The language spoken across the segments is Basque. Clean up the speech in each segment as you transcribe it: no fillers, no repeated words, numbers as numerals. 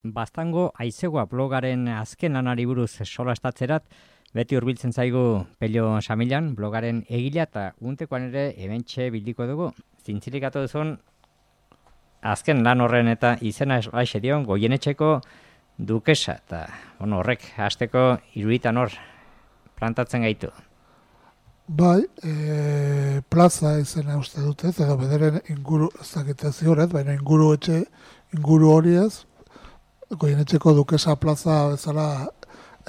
Baztango Aizegoa blogaren azken lanari buruz solastatzerat, beti hurbiltzen zaigu Pello Samilan, blogaren egila eta untekoan ere hementxe bildiko dugu. Zintzilik atu duzun, azken lan horren eta izena esbaixe dion Goienetxeko dukesa. Eta horrek hasteko iruditan hor plantatzen gaitu. Bai, plaza izena uste dut ez, edo bederen inguru, ez dakite ziuret, baina inguru hori ez, Goienetxeko dukesa plaza bezala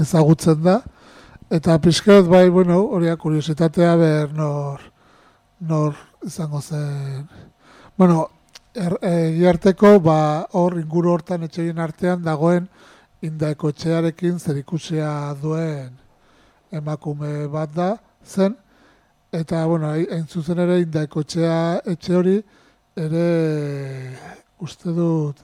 ezagutzen da. Eta pixket bai, horiak kuriositatea ber nor izango zen. Egiarteko hor inguru hortan etxeien artean dagoen Indaeko etxearekin zerikusia duen emakume bat da zen. Eta, hain zuzen ere Indaeko etxe hori ere uste dut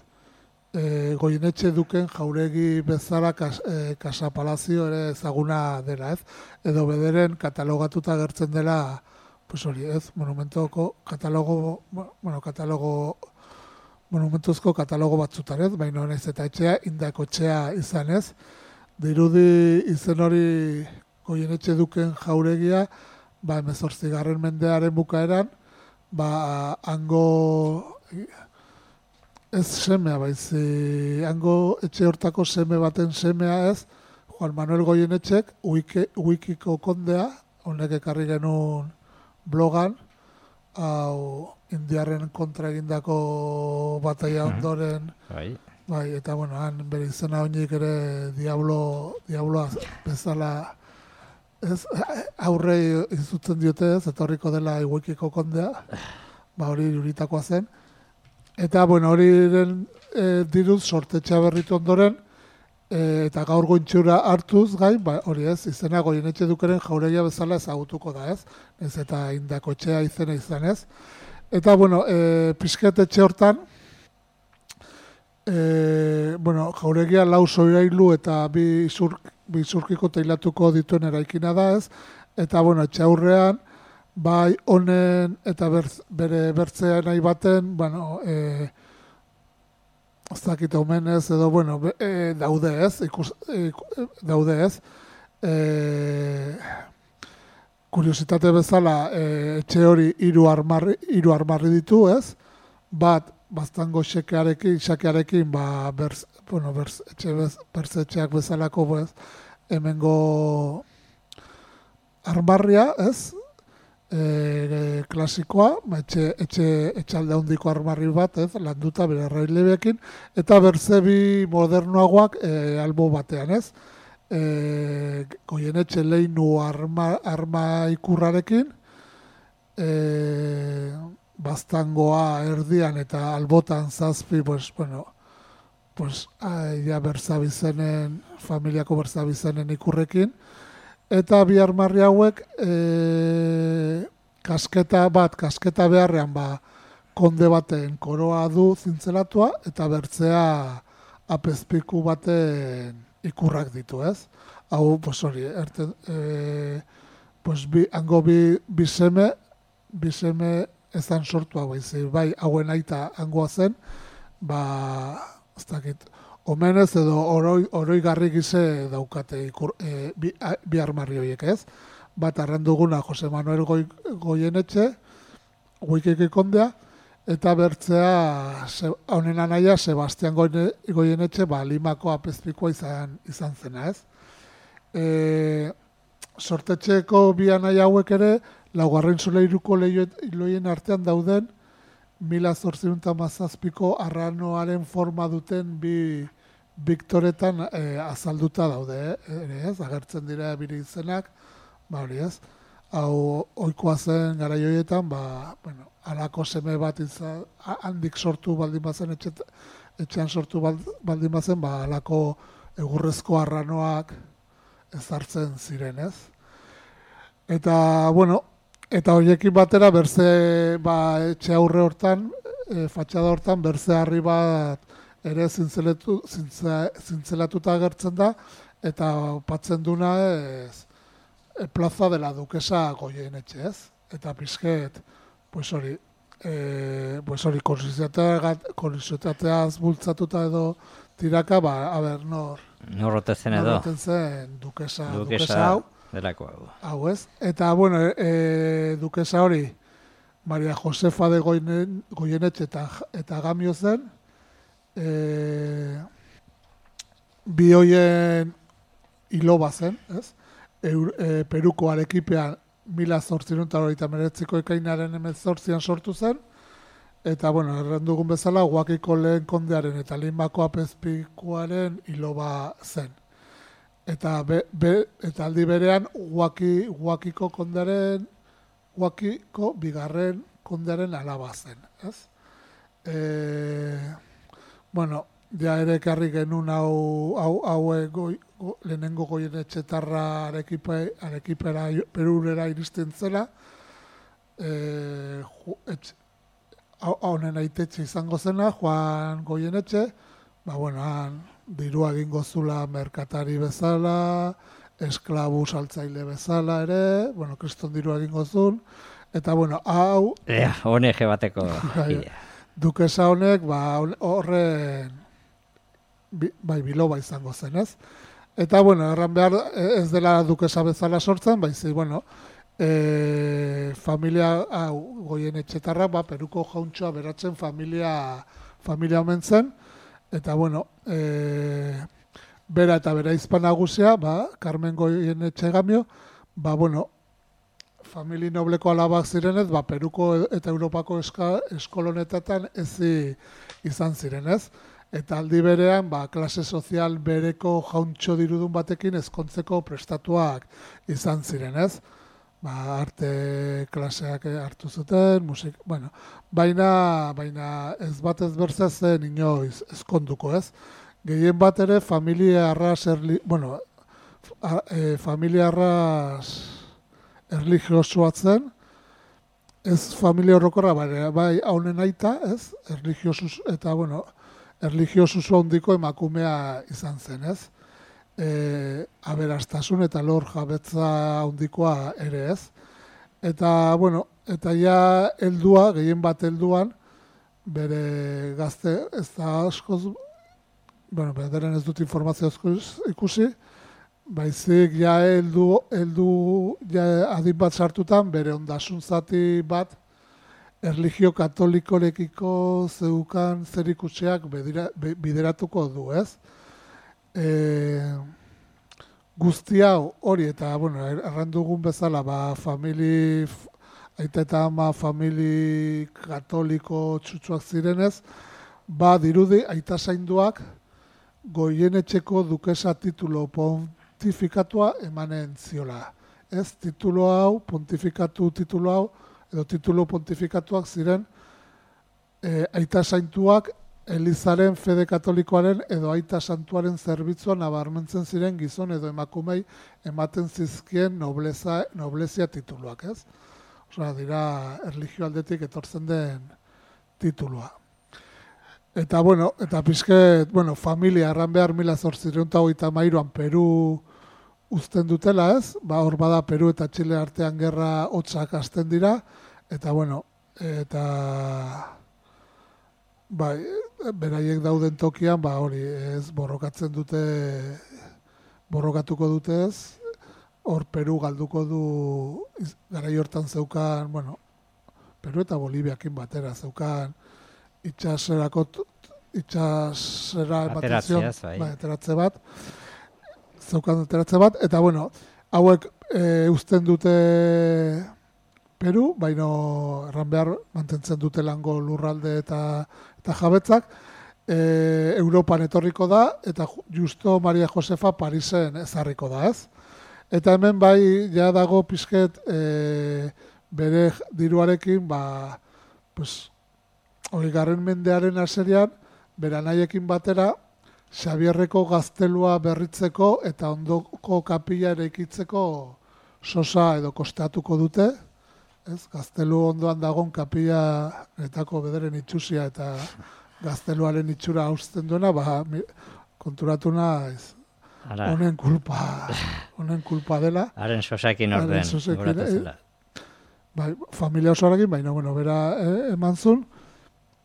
Goienetxe duken jauregi bezala Casa Palazio ere ezaguna dela, ez? Edo bederen katalogatuta gertzen dela, pues hori, ez? Monumentuzko katalogo batzutan, ez? Baina naiz eta etxea Indaeko etxea izan, ez? Dirudi izen hori Goienetxe duken jauregia, 18. mendearen bukaeran, hango ez semea baizi, hango etxe hortako seme baten semea ez, Juan Manuel Goienetxek, Uikiko kondea, honek ekarri genuen blogan, hau indiarren kontra egindako bataia ondoren, bai, eta han bere izena oinik ere diabloa bezala ez, aurrei izutzen diote ez, etorriko dela Uikiko kondea, hori iruritakoa zen. Eta, horiren diruz sortetxea berritu ondoren, eta gaur gointxura hartuz gain, hori ez, izena Goienetxe dukeren jauregia bezala ezagutuko da ez, ez eta Indako etxea izena izan ez. Eta, pixket etxe hortan, jauregia 4 soirailu eta 2 izurkiko teilatuko dituen eraikina da ez, eta, etxe aurrean, bai honen eta bere bertzea nahi baten, ez dakit omenez edo, daude ez. Kuriositate bezala, etxe hori 3 armarri ditu, ez? Bat, Baztango xakearekin, bertzetxeak bezalako, hemengo armarria, ez? Klasikoa, etxalde handiko armarri bat, ez, landuta bere arrailebekin, eta bertzebi modernoagoak albo batean, ez. Goienetxe leinu arma ikurrarekin, Baztangoa erdian eta albotan 7, berzabizenen, familiako berzabizenen ikurrekin, eta bi armarri hauek kasketa beharrean konde baten koroa du zintzelatua eta bertzea apezpiku baten ikurrak ditu, ez? Hau, hori, hango bi seme ezan sortu hau, bai, hauen aita hangoa zen, ez dakit, omenez edo oroigarri gize daukate bi armarri horiek, ez? Bat arranduguna Jose Manuel Goienetxe, Uikiko kondea, eta bertzea honen anaia Sebastian Goienetxe, Limako apezpikoa izan zena, ez? Sortetxeko bi anaia hauek ere, 4. solairuko leioien artean dauden, 1817ko arranoaren forma duten bi biktoretan azalduta daude, ez? Agertzen dira bire izenak, hori ez? Hau, ohikoa zen garai horietan, halako seme bat handik sortu baldin bazen, etxean sortu baldin bazen, halako egurrezko arranoak ezartzen ziren, ez? Eta, eta horiekin batera, berze, etxe aurre hortan, fatxada hortan, berze harri bat ere zintzelatuta agertzen da, eta patzen duna plaza dela dukesa Goienetxe, ez? Eta pixket, hori, korizitateaz bultzatuta edo tiraka, a ber, Norrote zen edo? Norroten zen dukesa hau. Delako hau. Hau ez. Eta, bueno, dukesa hori, Maria Josefa de Goyenetxe eta Gamio zen, bi hoien iloba zen, ez? Peruko Arekipean 1889ko ekainaren 18an sortu zen, eta, bueno, errandugun bezala, Huakiko lehen kondearen eta Limako apezpikuaren iloba zen. Eta aldi berean, Huakiko bigarren kondearen alaba zen, ez? Bueno, ja ere ekarri genuen lehenengo Goyenetxetarra Arekipera Perurera iristen zela, honen aitetxe izango zena, Juan Goyenetxe, han dirua egingo zula merkatari bezala, esklabu saltzaile bezala ere, kriston dirua egingo zuen, eta hau... Honege bateko. Dukesa honek, horren biloba izango zen, ez? Eta, erran behar ez dela dukesa bezala sortzen, baizik, familia Goyenetxetarra, Peruko jauntxoa beratzen familia omen zen, eta, bera eta bera izpan nagusia, Carmen Goyenetxe Gamio, famili nobleko alabak zirenez, Peruko eta Europako eskolonetatan ezi izan zirenez. Eta aldi berean, klase sozial bereko jauntxo dirudun batekin ezkontzeko prestatuak izan zirenez. Arte klaseak hartu zuten, musik, baina ez bat ez berza zen inoiz ezkonduko, ez? Gehien bat ere familia arras erligiosoa zen, ez familia horrokorra, bai haunen aita, ez? Erligiosus, eta, erligiosusu handiko emakumea izan zen, ez? Aberastasun eta lor jabetza handikoa ere, ez? Eta, eta ja heldua, gehien bat helduan, bere gazte, ez da askoz, bederen ez dut informazio ikusi, baizik ja heldu adin bat sartutan, bere ondasun zati bat, erligio katolikorekiko zeukan zerikusiak bideratuko du, ez? Guzti hau hori eta, errandugun bezala, aita eta ama famili katoliko txutsuak zirenez, dirudi aita zainduak Goyenetxeko dukesa titulo pontifikatua emanen ziola. Ez, titulo hau, pontifikatu titulo hau, edo titulo pontifikatuak ziren aita zaintuak Elizaren fede katolikoaren edo aita santuaren zerbitzuan nabarmentzen ziren gizon edo emakumei ematen zizkien noblezia tituluak, ez? Osea, dira erligio aldetik etortzen den titulua. Eta, eta pizket, familia erran behar 1833an Peru uzten dutela, ez? Hor bada Peru eta Txile artean gerra hotzak hasten dira, eta, eta... beraiek dauden tokian, hori, ez, borrokatuko dute ez, hor Peru galduko du, garai hortan zeukan, Peru eta Boliviakin batera zeukan, itxasera ateratze bat, zeukan ateratze bat, eta, hauek uzten dute Peru, erran behar mantentzen dute lango lurralde eta jabetzak, Europan etorriko da, eta justo Maria Josefa Parisen ezarriko da, ez? Eta hemen ja dago pizket bere diruarekin, 20. mendearen haserian, bere anaiekin batera, Xabierreko gaztelua berritzeko eta ondoko kapila eraikitzeko sosa edo kostatuko dute, ez? Gaztelu ondoan dagon kapila netako bederen itxusia eta gazteluaren itxura hausten duena, konturatu naiz, honen kulpa dela. Haren sosakin orden, goratu zela. Familia osoarekin, bera eman zuen,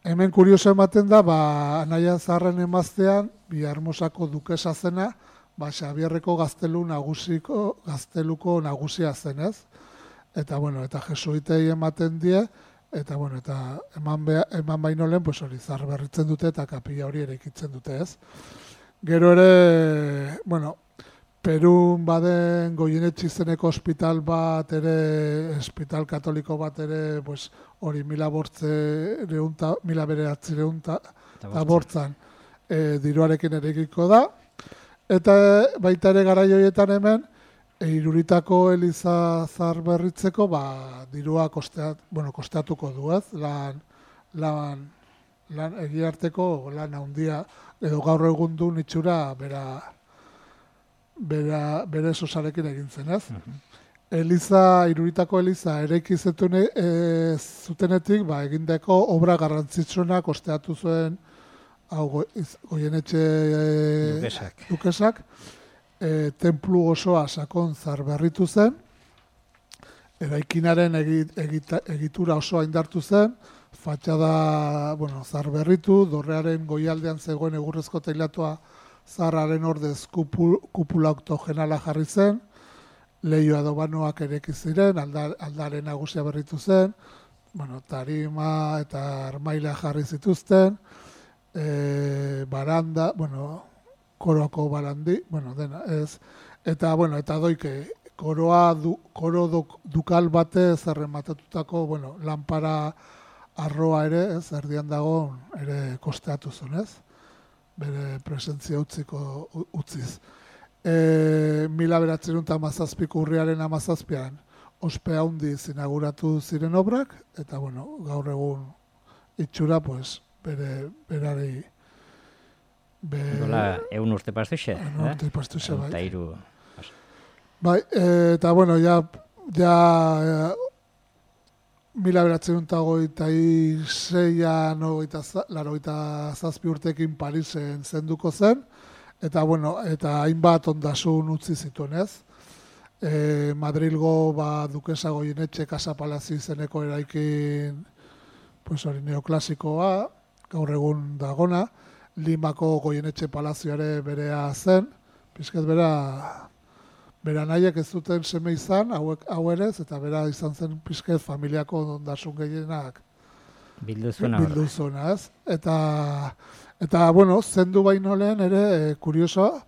hemen kurioso ematen da, Anaia Zaharren emaztean, Biarmosako dukesa zena, Xabierreko gazteluko nagusia zenez. Eta, eta jesuitei ematen die, eta, eta eman baino lehen, hori Zaharberritzen dute eta kapilla hori ere ikitzen dute, ez? Gero ere, Perun baden Goienetxe izeneko ospital bat ere, ospital katoliko bat ere, hori 1900 eta bortzan diruarekin ere egiko da. Eta baita ere garai horietan hemen, Iruritako Eliza Zaharberritzeko dirua kosteatuko du, ez? Lan egiarteko lan handia, edo gaur egun du itxura bere sosarekin egin zen, ez? Iruritako Eliza eraiki zutenetik, egindako obra garrantzitsuena kosteatu zuen Goienetxe dukesak, tenplu osoa sakon zaharberritu zen, eraikinaren egitura osoa indartu zen, fatxada zaharberritu, dorrearen goialdean zegoen egurrezko teilatua zaharraren ordez kupula oktogenala jarri zen, lehioa dobanoak ereki ziren, aldaren nagusia berritu zen, tarima eta armaila jarri zituzten, baranda, koroko barandi, dena, ez. Eta doike, koro dukal batez errematatutako, lanpara arroa ere, ez, erdian dago, ere kosteatu zuen, ez? Bere presentzia utziz. 1917ko urriaren 17an ospe handiz inauguratu ziren obrak, eta, gaur egun itxura, berari... Dola, egun urte pastuxe? Egun urte pastuxe, bai. Eta iru... Bai, eta, ja 1926an, 87 urtekin Parisen zenduko zen, eta hainbat ondasun utzi zituen, ez? Madrilgo dukesa Goienetxe Casa Palazio izeneko eraikin hori neoklasikoa, gaur egun dagona, Limako Goienetxe Palazioare berea zen, pizket bera nahiek ez zuten seme izan, hau ere, eta bera izan zen pizket familiako ondasun gehienak bilduzuena, ez? Eta, zendu baino lehen ere, kuriosoa,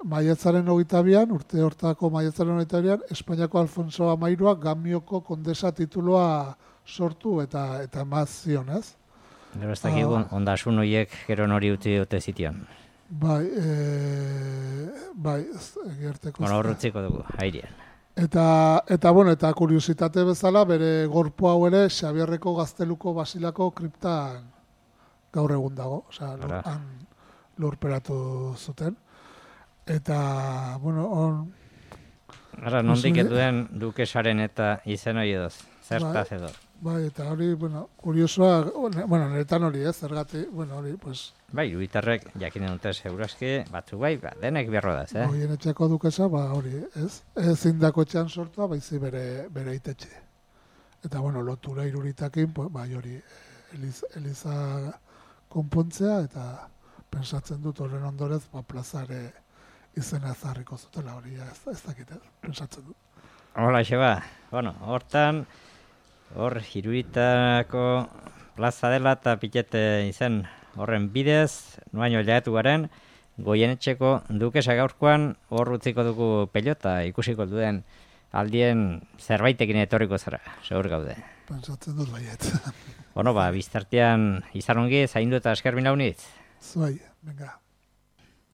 maiatzaren 22an, urte hortako maiatzaren 22an, Espainiako Alfonso XIIIak Gamioko kondesa titulua sortu eta emazzion, ez? Gero ez dakigu ondasun horiek gero nori utzi dute zitian. Bai, egerteko. Horretziko dugu, airean. Eta kuriositate bezala, bere gorpu hau ere, Xabierreko Gazteluko Basilako kriptan gaur egun dago, han lurperatu zuten. Eta, Ara, nondik eduen dukesaren eta izen hori edoz, zertaz edo. Bai, eta hori, kuriosoa, niretan hori ez, zergatik, hori, pues... Bai, Iruitarrek jakinen dute segurazki, batzu bai, denek berro daz, Goienetxeko dukesa, hori, ez? Ez indako etxean sortua, baizi bere itetxe. Eta, lotura Iruritakin, bai hori, Eliza konpontzea, eta pensatzen dut horren ondorez, plazare izena ezarriko zutela hori, ez dakit, pensatzen dut. Hola, Xeba, hortan, hor Iruitako plaza dela eta pitete izen horren bidez, noaino jaetu garen, Goienetxeko dukesa gaurkoan hor utziko dugu pelota ikusiko duen aldien zerbaitekin etorriko zara, segur gaude. Pentsatzen dut baiet. Biztartean izan ongi, zaindu eta esker minaunitz. Zuai, venga.